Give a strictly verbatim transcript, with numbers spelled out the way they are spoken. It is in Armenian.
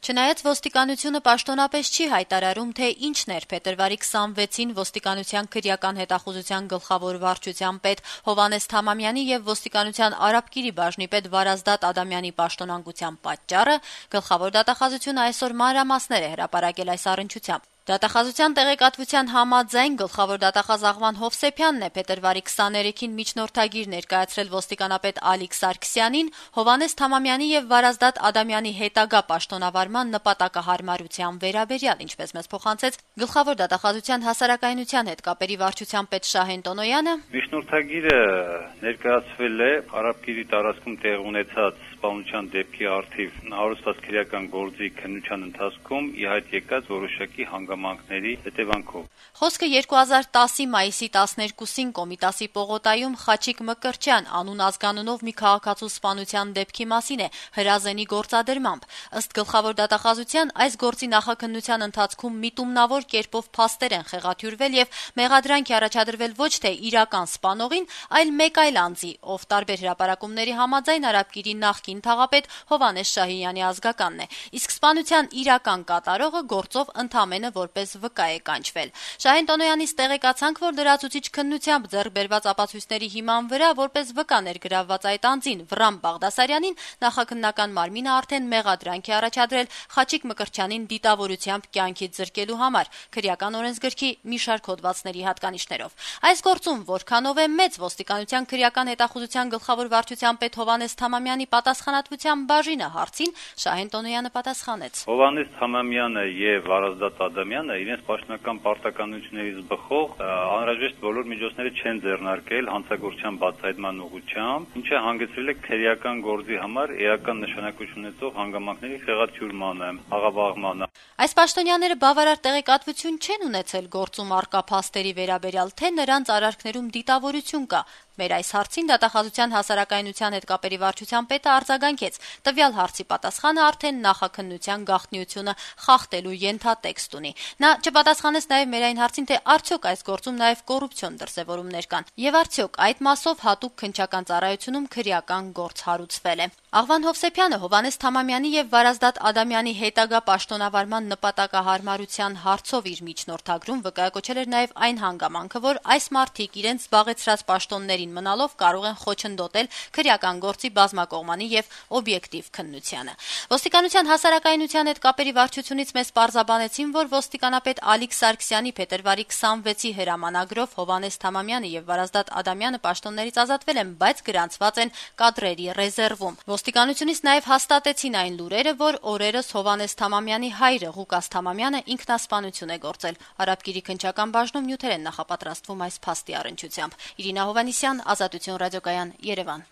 Չնայած ոստիկանությունը պաշտոնապես չի հայտարարում, թե ինչն էր փետրվարի քսանվեցին ոստիկանության քրեական հետախուզության գլխավոր վարչության պետ Հովհաննես Թամամյանի եւ ոստիկանության Արաբկիրի բաժնի պետ Վարազդատ Ադամյանի պաշտոնանկության պատճառը, գլխավոր դատախազությունը այսօր մանրամասներ է հրապարակել այս առնչությամբ։ Դատախազության տեղեկատվության համաձայն գլխավոր դատախազ Աղվան Հովսեփյանն է փետրվարի քսաներեքին միջնորդագիր ներկայացրել ոստիկանապետ Ալիկ Սարգսյանին Հովհաննես Թամամյանի եւ Վարազդատ Ադամյանի հետագա պաշտոնավարման նպատակահարմարության վերաբերյալ, ինչպես մեզ փոխանցեց գլխավոր դատախազության հասարակայնության հետ կապերի վարչության պետ Շահեն Տոնոյանը։ Միջնորդագիրը ներկայացվել է Արաբկիրի տարածքում տեղ ունեցած սպանության դեպքի առթիվ հարուցված քրեական գործի քննության ընթացքում ի հայտ եկած որոշակի հանգամանքների հետևանքով։ Խոսքը երկու հազար տասի մայիսի տասներկուսին Կոմիտասի պողոտայում Խաչիկ Մկրտչյան անուն ազգանունով մի քաղաքացու սպանության դեպքի մասին է հրազենի գործադրմամբ։ Ըստ գլխավոր դատախազության այս գործի նախաքննության ընթացքում միտումնավոր կերպով փաստեր են խեղաթյուրվել եւ մեղադրանք է առաջադրվել ոչ թե իրական սպանողին, այլ մեկ այլ անձի, ով տարբեր հրապարակումների համաձայն Արաբկիրի նախկին թաղապետ Հովհաննես Շահինյանի ազգականն է, իսկ սպանության իրական կատարողը գործով ընդամենը որպես վկա է կանչվել։ Շահեն Տոնոյանից տեղեկացանք, որ լրացուցիչ քննությամբ ձեռք բերված ապացույցների հիման վրա որպես վկա ներգրավված այդ անձին Վրամ Բաղդասարյանին նախաքննական մարմինը արդեն մեղադրանք է առաջադրել Խաչիկ Մկրտչյանին դիտավորությամբ կյանքից զրկելու համար քրեական օրենսգրքի մի շարք հոդվածների հատկանիշներով։ Այս գործում որքանով է մեծ ոստիկանության քրեական հետախուզության գլխավոր վարչության պետ Հովհաննես Թամամյանի պատասխանատվության բաժինը հարցին Շահեն Տոնոյանը պատասխանեց. Հովհաննես Թամամյանը եւ Վարազդատ Ադամյանը իրենց պաշտոնական պարտականություններից բխող անհրաժեշտ բոլոր միջոցները չեն ձեռնարկել հանցագործության բացահայտման ուղղությամբ, ինչը հանգեցրել է քրեական գործի համար էական նշանակություն ունեցող հանգամանքների խեղաթյուրմանը, աղավաղմանը։ Այս պաշտոնյաները բավարար տեղեկատվություն չեն ունեցել գործում առկա փաստերի վերաբերյալ, թե նրանց արարքներում դիտավորություն կա։ Մեր այս հարցին դատախազության հասարակայնության հետ կապերի վարչության պետը արձագանքեց. տվյալ հարցի պատասխանը արդեն նախաքննության գաղտնիությունը խախտելու ենթատեքստ ունի։ Նա չպատասխանեց նաև մեր այն հարցին, թե արդյոք այս գործում նաև կոռուպցիոն դրսևորումներ կան, եւ արդյոք այդ մասով հատուկ քննչական ծառայությունում քրեական գործ հարուցվել է։ Աղվան Հովսեփյանը Հովհաննես Թամամյանի եւ Վարազդատ Ադամյանի հետագա պաշտոնավարման նպատակահարմարության հարցով իր միջնորդագրում վկայակոչել էր նաև այն հանգամանքը, որ այս մարդիկ իրենց զբաղեցրած պաշտոններին մնալով կարող են խոչընդոտել քրեական գործի բազմակողմանի եւ օբյեկտիվ քննությանը։ Ոստիկանության հասարակայնության հետ կապերի վարչությունից մեզ պարզաբանեցին, որ ոստիկանապետ Ալիկ Սարգսյանի փետրվարի քսանվեցի հրամանագրով Հովհաննես Թամամյանը եւ Վարազդատ Ադամյանը պաշտոններից ազատվել են, բայց գրանցված են կադրերի ռեզերվում։ Ոստիկանությունից նաև հաստատեցին այն լուրերը, որ օրերս Հովհաննես Թամամյանի հայրը Ղուկաս Թամամյանը ինքնասպանություն է գործել։ Արաբկիրի քննչական բաժնում նյութեր են նախապատրաստվում այս փաստի առնչությամբ։ Իրինա Հովհաննիսյան, Ազատություն ռադիոկայան, Երևան։